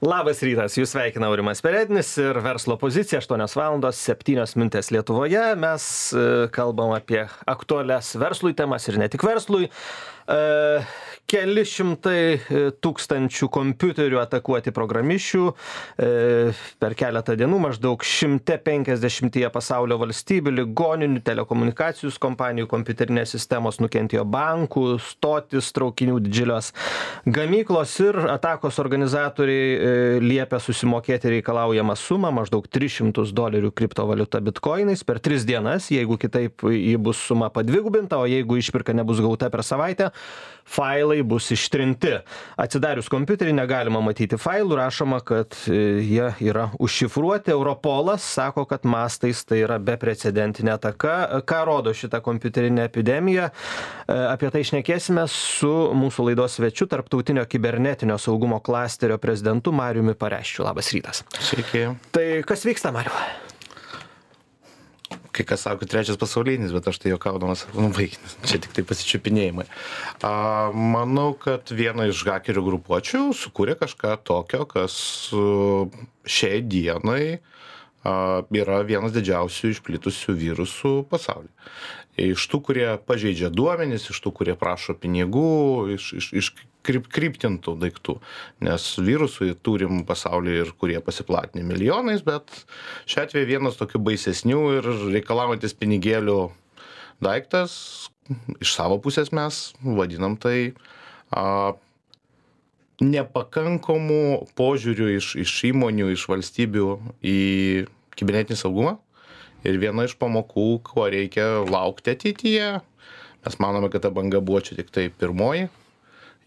Labas rytas, jūs sveikina Aurimas Perednis ir verslo pozicija, 8:07 Lietuvoje. Mes kalbam apie aktualias verslui temas ir ne tik verslui. Keli šimtai tūkstančių kompiuterių atakuoti programišių per keletą dienų, maždaug 150 pasaulio valstybių, ligoninių, telekomunikacijos kompanijų, kompiuterinės sistemos nukentėjo, bankų, stotis, traukinių, didžiulios gamyklos ir atakos organizatoriai liepia susimokėti reikalaujamą sumą, maždaug $300 kriptovaliuta bitkoinais per 3 dienas, jeigu kitaip ji bus suma padvigubinta, o jeigu išpirka nebus gauta per savaitę, failai bus ištrinti. Atsidarius kompiuterį negalima matyti failų, rašoma, kad jie yra užšifruoti. Europolas sako, kad mastais tai yra beprecedentinė ataka. Ką rodo šitą kompiuterinę epidemiją? Apie tai šnekėsime su mūsų laidos svečiu, tarptautinio kibernetinio saugumo klasterio prezidentu Mariumi Pareščiu. Labas rytas. Sveiki. Tai kas vyksta, Mariu? Kai kas sako, 3 pasaulinis, bet aš tai juokaudamas, vaikinis, čia tik tai pasičiupinėjimai. Manau, kad viena iš hakerių grupuočių sukūrė kažką tokio, kas šiai dienai yra vienas didžiausių išplitusių virusų pasaulyje. Iš tų, kurie pažeidžia duomenis, iš tų, kurie prašo pinigų, iš kryptintų daiktų. Nes virusų turim pasaulyje ir kurie pasiplatinę milijonais, bet šiuo atveju vienas tokių baisesnių ir reikalaujantis pinigėlių daiktas, iš savo pusės mes vadinam tai nepakankamų požiūrių iš įmonių, iš valstybių į kibernetinį saugumą. Ir viena iš pamokų, ko reikia laukti ateityje. Mes manome, kad ta banga buvo čia tik tai pirmoji.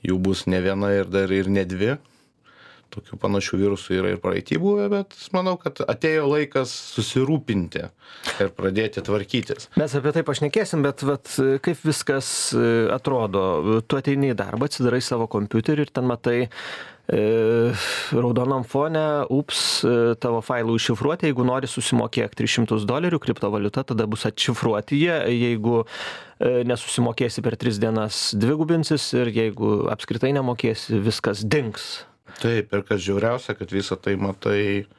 Jų bus ne viena ir dar ir ne 2. Tokių panašių virusų yra ir praeity buvę, bet manau, kad atėjo laikas susirūpinti ir pradėti tvarkytis. Mes apie tai pašnekėsim, bet kaip viskas atrodo? Tu ateini į darbą, atsidarai savo kompiuterį ir ten matai raudonam fone, tavo failų iššifruoti, jeigu nori susimokėk $300 kriptovaliuta, tada bus atšifruoti jie, jeigu nesusimokėsi per 3 dienas dvigubinsis ir jeigu apskritai nemokėsi, viskas dings. Taip, ir kas žiauriausia, kad visą tai matai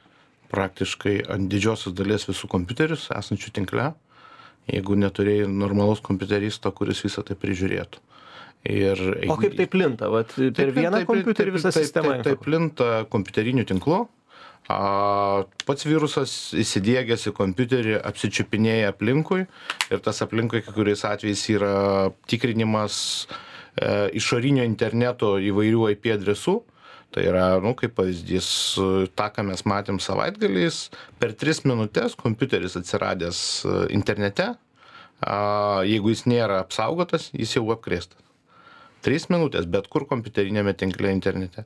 praktiškai ant didžiosios dalies visų kompiuterius esančių tinkle, jeigu neturėjai normalaus kompiuteristo, kuris visą tai prižiūrėtų. O kaip tai plinta? Per vieną kompiuterį visą sistemą? Tai plinta kompiuteriniu tinklu. Pats virusas įsidiegęs į kompiuterį apsičiupinėja aplinkui ir tas aplinkui kai kuriais atvejais yra tikrinimas išorinio interneto įvairių IP adresų. Tai yra, kaip pavyzdys, tą, ką mes matėm savaitgaliais, per 3 minutės kompiuteris atsiradęs internete, jeigu jis nėra apsaugotas, jis jau apkrėstas. 3 minutės, bet kur kompiuterinėme tinkle internete.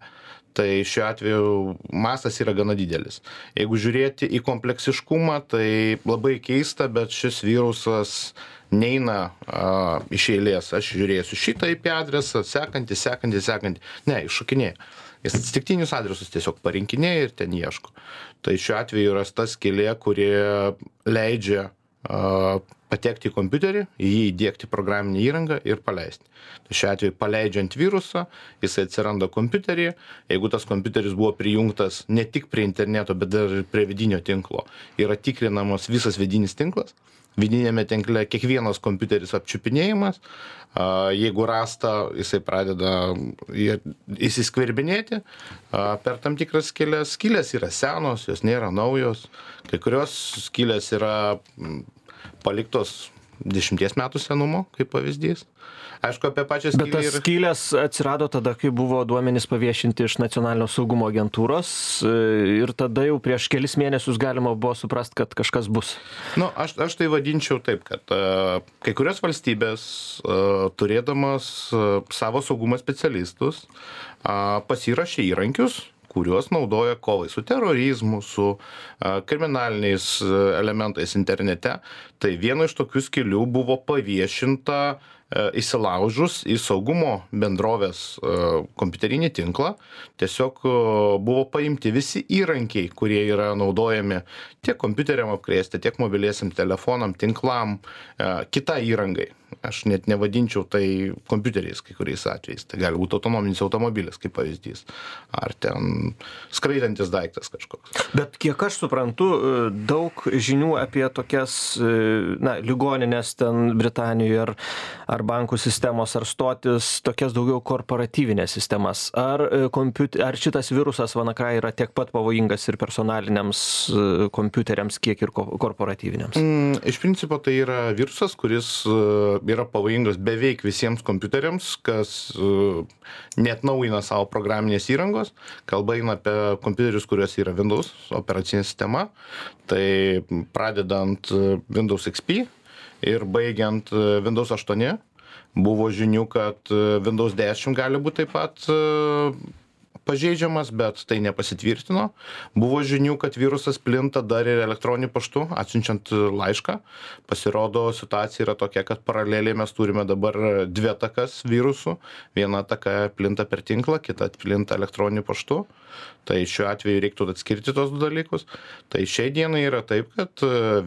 Tai šiuo atveju mastas yra gana didelis. Jeigu žiūrėti į kompleksiškumą, tai labai keista, bet šis virusas neina iš eilės. Aš žiūrėsiu šitą IP adresą, sekantį. Ne, iššokinėja. Jis atsitiktinius adresus tiesiog parinkinėja ir ten ieško. Tai šiuo atveju yra ta skylė, kurie leidžia patekti į kompiuterį, į jį įdiegti programinę įrangą ir paleisti. Tai šiuo atveju paleidžiant virusą, jisai atsiranda kompiuteryje. Jeigu tas kompiuteris buvo prijungtas ne tik prie interneto, bet dar ir prie vidinio tinklo, yra tikrinamas visas vidinis tinklas. Vidinėme tinkle kiekvienas kompiuteris apčiupinėjimas. Jeigu rasta, jisai pradeda įsiskverbinėti per tam tikras skylės. Skylės yra senos, jos nėra naujos. Kai kurios skylės yra paliktos 10 metų senumo, kaip pavyzdys. Aišku, apie pačią skylę. Bet tas skylės atsirado tada, kai buvo duomenys paviešinti iš Nacionalinio saugumo agentūros ir tada jau prieš kelis mėnesius galima buvo suprast, kad kažkas bus. Aš tai vadinčiau taip, kad kai kurios valstybės, turėdamas savo saugumo specialistus, pasirašė įrankius, kuriuos naudoja kovai su terorizmu, su kriminaliniais elementais internete. Tai viena iš tokių skylių buvo paviešinta įsilaužus į saugumo bendrovės kompiuterinį tinklą, tiesiog buvo paimti visi įrankiai, kurie yra naudojami tiek kompiuteriam apkrėsti, tiek mobiliesiam telefonam, tinklam, kitai įrangai. Aš net nevadinčiau tai kompiuteriais kai kuriais atvejais. Tai gali būti autonominis automobilis, kaip pavyzdys. Ar ten skraidantis daiktas kažkoks. Bet kiek aš suprantu, daug žinių apie tokias, ligoninės ten Britanijoje ar bankų sistemos, ar stotis, tokias daugiau korporatyvinės sistemas. Ar šitas virusas WannaCry yra tiek pat pavojingas ir personaliniams kompiuteriams, kiek ir korporatyviniams? Iš principo tai yra virusas, kuris yra pavojingas beveik visiems kompiuteriams, kas neatnaujina savo programinės įrangos. Kalba eina apie kompiuterius, kuriuos yra Windows operacinė sistema. Tai pradedant Windows XP ir baigiant Windows 8. Buvo žinių, kad Windows 10 gali būti taip pat pažeidžiamas, bet tai nepasitvirtino. Buvo žinių, kad virusas plinta dar ir elektroniniu paštu, atsiunčiant laišką. Pasirodo, situacija yra tokia, kad paraleliai mes turime dabar dvi atakas virusų. Viena ataka plinta per tinklą, kita plinta elektroniniu paštu. Tai šiuo atveju reiktų atskirti tos du dalykus. Tai šiai dienai yra taip, kad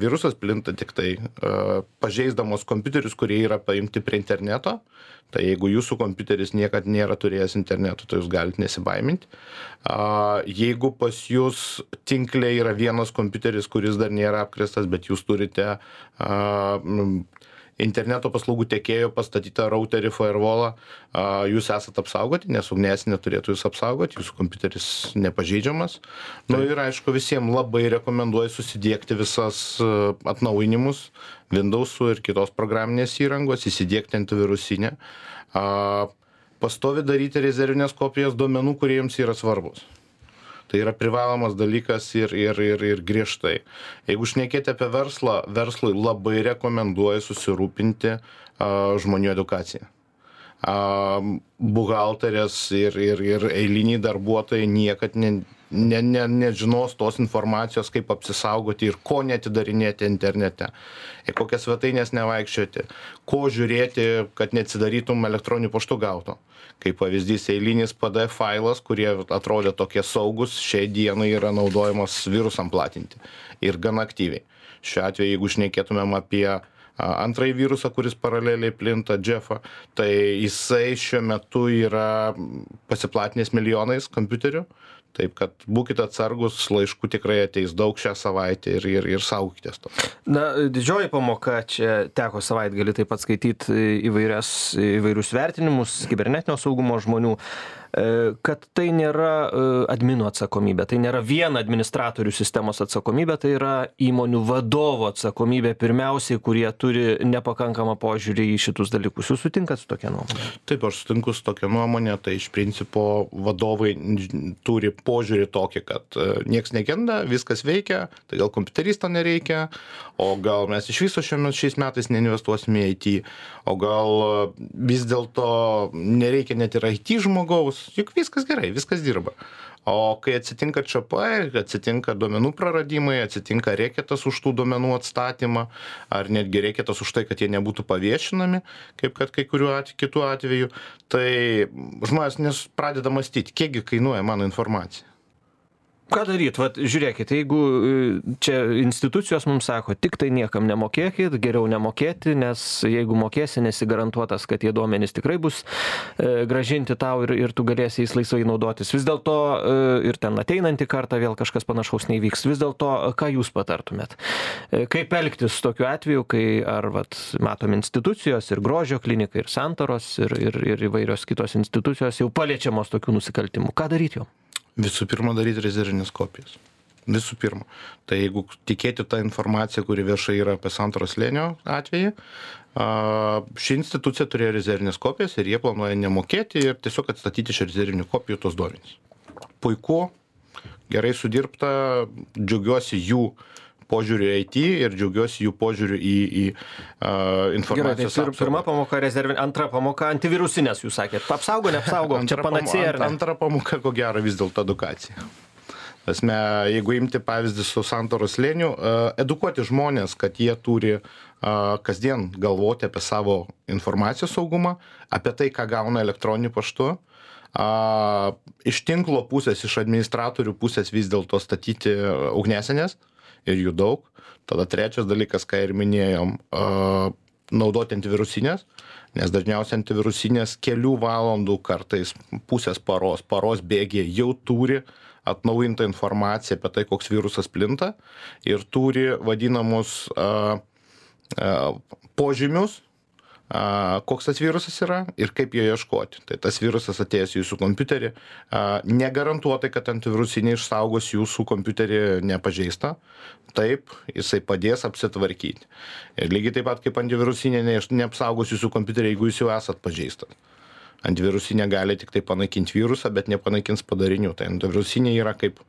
virusas plinta tik tai pažeisdamos kompiuterius, kurie yra paimti prie interneto. Tai jeigu jūsų kompiuteris niekad nėra turėjęs interneto, tai jūs galite nesibaiminti. Jeigu pas jūs tinkle yra vienas kompiuteris, kuris dar nėra apkrėstas, bet jūs turite interneto paslaugų tiekėjo pastatytą routerį, firewallą, jūs esat apsaugoti, nes ugniasinė turėtų jūs apsaugoti, jūsų kompiuteris nepažeidžiamas. Ir aišku, visiems labai rekomenduoju susidiegti visas atnaujinimus Windows'ų ir kitos programinės įrangos, įsidiegti antivirusinę. Pastovi daryti rezervinės kopijas duomenų, kurie jums yra svarbus. Tai yra privalomas dalykas ir griežtai. Jeigu šnekėti apie verslą, verslui labai rekomenduoju susirūpinti žmonių edukaciją. Buhalterės ir eiliniai darbuotojai niekad nežinos tos informacijos, kaip apsisaugoti ir ko neatidarinėti internete, į kokias svetainės nevaikščioti, ko žiūrėti, kad neatsidarytum elektroniniu paštu gauto. Kaip pavyzdys, eilinis PDF failas, kurie atrodė tokie saugus, šiai dienai yra naudojamas virusam platinti ir gan aktyviai. Šiuo atveju, jeigu šnekėtumėm apie antrąjį virusą, kuris paraleliai plinta, Jeffą, tai jisai šiuo metu yra pasiplatinęs milijonais kompiuterių. Taip, kad būkite atsargus, laiškų tikrai ateis daug šią savaitę ir saugokitės to. Didžioji pamoka, čia teko savaitgalį taip pat skaityti įvairius vertinimus kibernetinio saugumo žmonių, kad tai nėra adminų atsakomybė, tai nėra vien administratorių sistemos atsakomybė, tai yra įmonių vadovo atsakomybė pirmiausiai, kurie turi nepakankamą požiūrį į šitus dalykus. Jūs sutinkat su tokia nuomonė? Taip, aš sutinku su tokia nuomonė, tai iš principo vadovai turi požiūrį tokį, kad nieks negenda, viskas veikia, tai gal kompiuteristo nereikia, o gal mes iš viso šiais metais neinvestuosime į IT, o gal vis dėlto nereikia net ir IT žmogaus, juk viskas gerai, viskas dirba. O kai atsitinka ČP, atsitinka duomenų praradimai, atsitinka reketas už tų duomenų atstatymą, ar netgi reketas už tai, kad jie nebūtų paviešinami, kaip kad kai kuriuo kitų atveju, tai žmonės pradeda mąstyti, kiekgi kainuoja mano informacija. Ką daryt? Vat žiūrėkit, jeigu čia institucijos mums sako, tik tai niekam nemokėkit, geriau nemokėti, nes jeigu mokėsi, nesi garantuotas, kad tie duomenys tikrai bus grąžinti tau ir tu galėsi jais laisvai naudotis. Vis dėlto ir ten ateinantį kartą vėl kažkas panašaus neįvyks. Vis dėlto, ką jūs patartumėt? Kaip elgtis tokiu atveju, kai matom institucijos ir Grožio klinika, ir Santaros, ir įvairios kitos institucijos jau paliečiamos tokių nusikaltimų. Ką daryti jau? Visų pirma, daryti rezervinės kopijas. Visų pirma. Tai jeigu tikėti tą informaciją, kuri viešai yra apie Santaros slėnio atvejį, ši institucija turėjo rezervinės kopijas ir jie planuoja nemokėti ir tiesiog atstatyti iš rezervinių kopijų tos duomenys. Puiku, gerai sudirbta, džiaugiuosi jų požiūriu į IT ir džiaugiuosi jų požiūriu į informacijos apsaugą. Pirma pamoka rezervinė, antra pamoka antivirusinės, jūs sakėt. Apsaugo, neapsaugo, čia panacėja ar ne? Antra pamoka, ko gero, vis dėlto edukacija. Tasme, jeigu imti pavyzdį su Santoros slėniu, edukuoti žmonės, kad jie turi kasdien galvoti apie savo informacijos saugumą, apie tai, ką gauna elektroniniu paštu. Iš tinklo pusės, iš administratorių pusės vis dėlto statyti ugnesenės ir jų daug. Tada trečias dalykas, ką ir minėjom, naudoti antivirusinės, nes dažniausiai antivirusinės kelių valandų, kartais pusės paros bėgyje jau turi atnaujintą informaciją apie tai, koks virusas plinta ir turi vadinamus požymius, koks tas virusas yra ir kaip jo ieškoti. Tai tas virusas atėjęs į jūsų kompiuterį, negarantuotai, kad antivirusinė išsaugos jūsų kompiuterį nepažeistą. Taip, jisai padės apsitvarkyti. Ir lygiai taip pat kaip antivirusinė neapsaugos jūsų kompiuterį, jeigu jūs jau esat pažeistas. Antivirusinė gali tik tai panaikinti virusą, bet nepanaikins padarinių. Tai antivirusinė yra kaip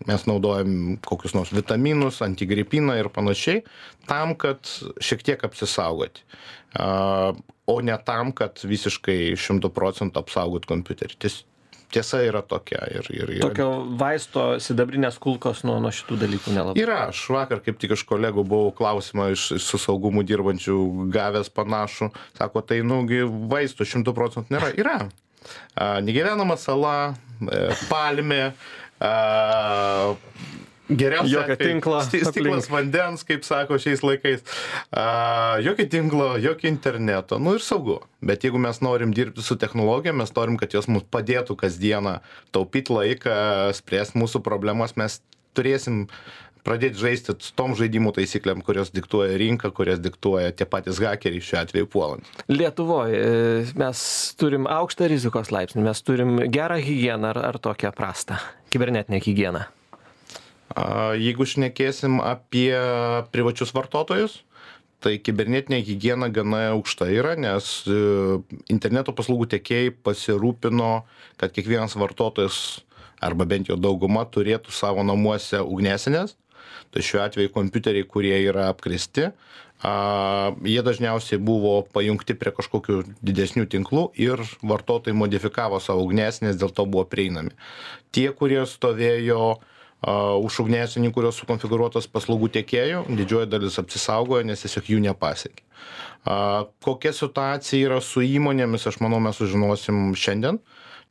mes naudojam kokius nors vitaminus, antigripiną ir panašiai, tam, kad šiek tiek apsisaugoti, o ne tam, kad visiškai 100% apsaugot kompiuterį. Tiesa yra tokia. Tokio vaisto sidabrinės kulkos nuo šitų dalykų nelabai. Yra, aš vakar kaip tik iš kolegų buvau klausimą su saugumu dirbančių gavęs panašų, sako, tai vaistų 100% nėra. Yra. Negyvenama sala, palmė, geriausia jokio tinklo, stiklas vandens, kaip sako šiais laikais, jokio tinklo, jokio interneto, ir saugu. Bet jeigu mes norim dirbti su technologija, mes norim, kad jos mums padėtų kasdieną taupyti laiką, spręsti mūsų problemas, mes turėsim pradėti žaisti tom žaidimų taisyklėm, kurios diktuoja rinka, kurias diktuoja tie patys hakeriai šiuo atveju puolant. Lietuvoje mes turim aukštą rizikos laipsnį, mes turim gerą higieną ar tokią prastą kibernetinę higieną. Jeigu šnekėsim apie privačius vartotojus, tai kibernetinė higiena gana aukšta yra, nes interneto paslaugų tiekėjai pasirūpino, kad kiekvienas vartotojas arba bent jau dauguma turėtų savo namuose ugnesenės. Tai šiuo atveju kompiuteriai, kurie yra apkrėsti, jie dažniausiai buvo pajungti prie kažkokių didesnių tinklų ir vartotojai modifikavo savo ugnesenės, dėl to buvo prieinami. Tie, kurie stovėjo už ugnesinių, kurios sukonfigūruotos paslaugų tiekėjų, didžioji dalis apsisaugojo, nes tiesiog jų nepasiekė. Kokia situacija yra su įmonėmis, aš manau, mes sužinosim šiandien,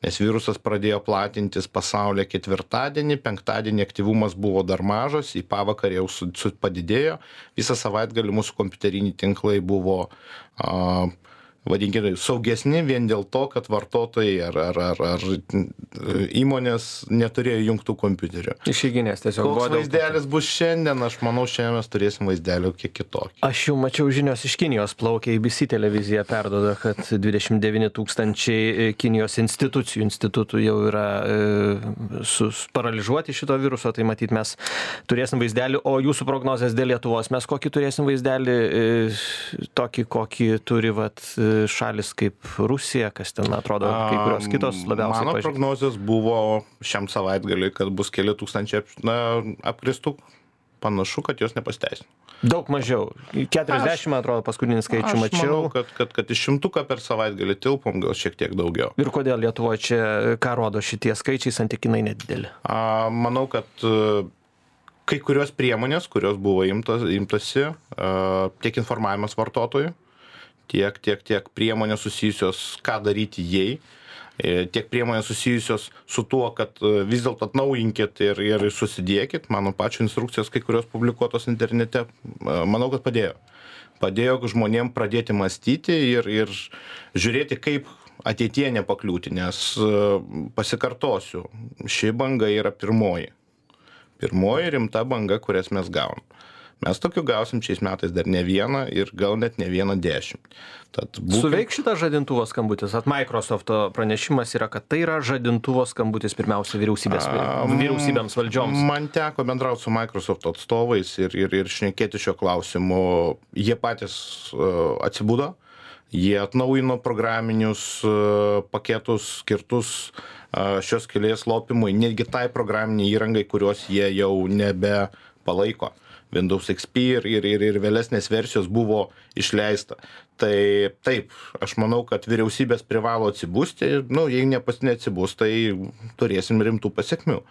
nes virusas pradėjo platintis pasaulyje ketvirtadienį, penktadienį aktyvumas buvo dar mažas, į pavakarę jau padidėjo, visą savaitgalį mūsų kompiuteriniai tinklai buvo vadinkime, saugesni vien dėl to, kad vartotojai ar įmonės neturėjo jungtų kompiuterių. Išeiginės tiesiog. Koks vaizdelis bus šiandien, aš manau, šiandien mes turėsim vaizdelį kiek kitokį. Aš jau mačiau žinios iš Kinijos plaukia, ABC televizija perduoda, kad 29 000 Kinijos institutų jau yra paralyžuoti šito viruso, tai matyt mes turėsim vaizdelį, o jūsų prognozės dėl Lietuvos, mes kokį turėsim vaizdelį, tokį, kokį turi šalis kaip Rusija, kas ten atrodo, kai kurios kitos labiausiai pažįsta. Mano prognozės buvo šiam savaitgaliui, kad bus keli tūkstančiai apkristų, panašu, kad jos nepasteisino. Daug mažiau. 40, atrodo, paskutinį skaičių mačiau. Aš manau, kad iš 100 per savaitgalį tilpom, gal šiek tiek daugiau. Ir kodėl Lietuvoje čia, ką rodo šitie skaičiai, santykinai nedideli? Manau, kad kai kurios priemonės, kurios buvo imtasi, tiek informavimas vartotojų, tiek priemonės susijusios, ką daryti jai, tiek priemonės susijusios su tuo, kad vis dėlto atnaujinkit ir susidėkit. Mano pačio instrukcijos, kai kurios publikuotos internete, manau, kad padėjo. Padėjo žmonėm pradėti mąstyti ir žiūrėti, kaip ateityje nepakliūti, nes pasikartosiu, ši banga yra pirmoji rimta banga, kurias mes gaunam. Mes tokių gausim šiais metais dar ne vieną ir gal net ne vieną 10. Suveiks šitas žadintuvo skambutis? Microsofto pranešimas yra, kad tai yra žadintuvo skambutis pirmiausia vyriausybėms valdžioms. Man teko bendrauti su Microsoft atstovais ir šnekėti šio klausimu. Jie patys atsibudo, jie atnaujino programinius paketus skirtus šios skylės lopimui, netgi tai programiniai įrangai, kurios jie jau nebe palaiko. Windows XP ir vėlesnės versijos buvo išleista. Tai taip, aš manau, kad vyriausybės privalo atsibusti, jei neatsibus, tai turėsim rimtų pasekmių.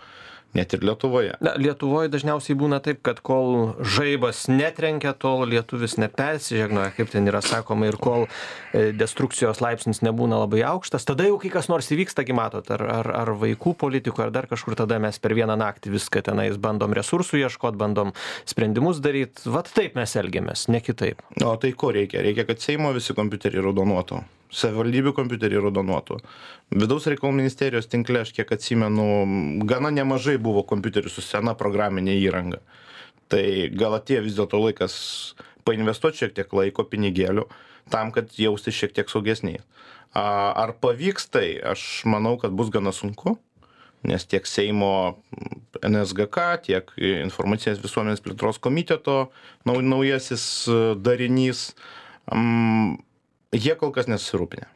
net ir Lietuvoje. Na, Lietuvoje dažniausiai būna taip, kad kol žaibas netrenkia, tol lietuvis nepersižegnoja, kaip ten yra sakoma, ir kol destrukcijos laipsnis nebūna labai aukštas, tada jau kai kas nors įvyksta, kai matot, ar vaikų politikų, ar dar kažkur, tada mes per vieną naktį viską tenais bandom resursų ieškot, bandom sprendimus daryt. Vat taip mes elgiamės, ne kitaip. O tai ko reikia? Reikia, kad Seimo visi kompiuteriai raudonuotų. Savivaldybių kompiuteriai raudonuotų. Vidaus reikalų ministerijos tinkle, aš kiek atsimenu, gana nemažai buvo kompiuterių su sena programinė įranga. Tai gal atėjo vis dėlto laikas painvestuoti šiek tiek laiko, pinigėlių, tam, kad jausti šiek tiek saugesniai. Ar pavyks tai? Aš manau, kad bus gana sunku, nes tiek Seimo NSGK, tiek Informacinės visuomenės plėtros komiteto naujasis darinys, jie kol kas nesusirūpinę.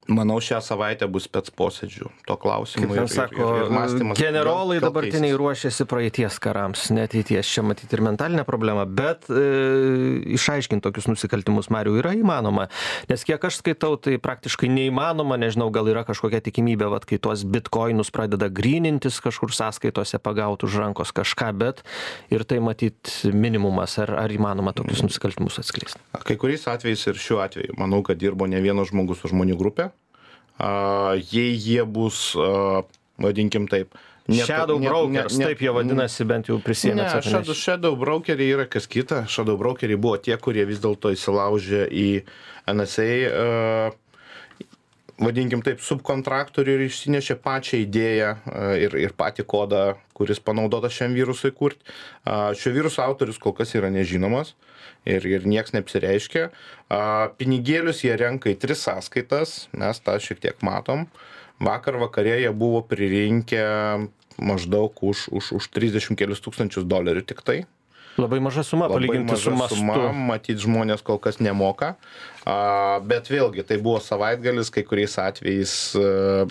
Manau, šią savaitę bus spec posėdžių to klausimu. Kaip sako, mąstymas. generolai dabartiniai ruošiasi praeities karams, ne ateities. Čia matyti ir mentalinė problema, bet išaiškinti tokius nusikaltimus, Mariau, yra įmanoma. Nes kiek aš skaitau, tai praktiškai neįmanoma, nežinau, gal yra kažkokia tikimybė, vat, kai tuos bitkoinus pradeda grynintis kažkur sąskaitose pagauti už rankos kažką, bet ir tai matyti minimumas, ar įmanoma tokius nusikaltimus atskleisti. Kai kuriais atvejais ir šiuo atveju, manau, kad dirbo ne vienas žmogus su žmonių grupė. Jei jie bus, vadinkim taip, Shadow brokers, taip jie vadinasi, bent jau prisėmė atsakomybę. Ne, shadow brokeriai yra kas kita. Shadow brokeriai buvo tie, kurie vis dėlto įsilaužė į NSA, vadinkim taip, subkontraktorių ir išsinešė pačią idėją ir patį kodą, kuris panaudotas šiam virusui kurti. Šio viruso autorius kol kas yra nežinomas ir nieks neapsireiškia. Pinigėlius jie renka į 3 sąskaitas, mes tą šiek tiek matom. Vakar vakare jie buvo pririnkę maždaug už 30 kelius tūkstančius dolerių tik tai. Labai maža suma, palyginti su mastu. Matyt, žmonės kol kas nemoka. Bet vėlgi, tai buvo savaitgalis, kai kuriais atvejais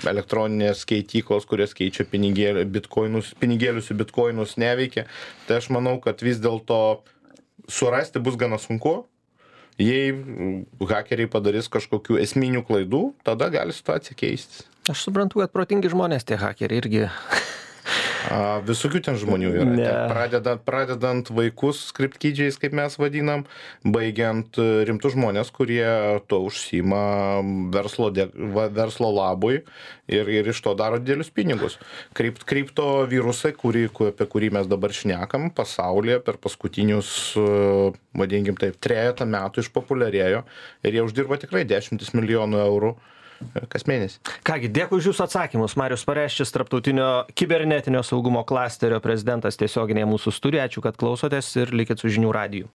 elektroninės keityklos, kurios keičia pinigėlius į bitkoinus neveikia. Tai aš manau, kad vis dėlto surasti bus gana sunku. Jei hakeriai padarys kažkokių esminių klaidų, tada gali situacija keistis. Aš suprantu, kad protingi žmonės tie hakeriai irgi. Visokių ten žmonių yra. Pradedant vaikus skriptkydžiais, kaip mes vadinam, baigiant rimtus žmonės, kurie to užsiima verslo labui ir iš to daro didelius pinigus. Kripto virusai, apie kurį mes dabar šnekam, pasaulyje per paskutinius, vadinkim taip, 3 metų išpopuliarėjo ir jie uždirba tikrai 10 milijonų eurų kas mėnesį. Kągi, dėkui už jūsų atsakymus. Marius Pareščius, Tarptautinio kibernetinio saugumo klasterio prezidentas tiesioginėje mūsų studijoje. Ačiū, kad klausotės ir likit su žinių radiju.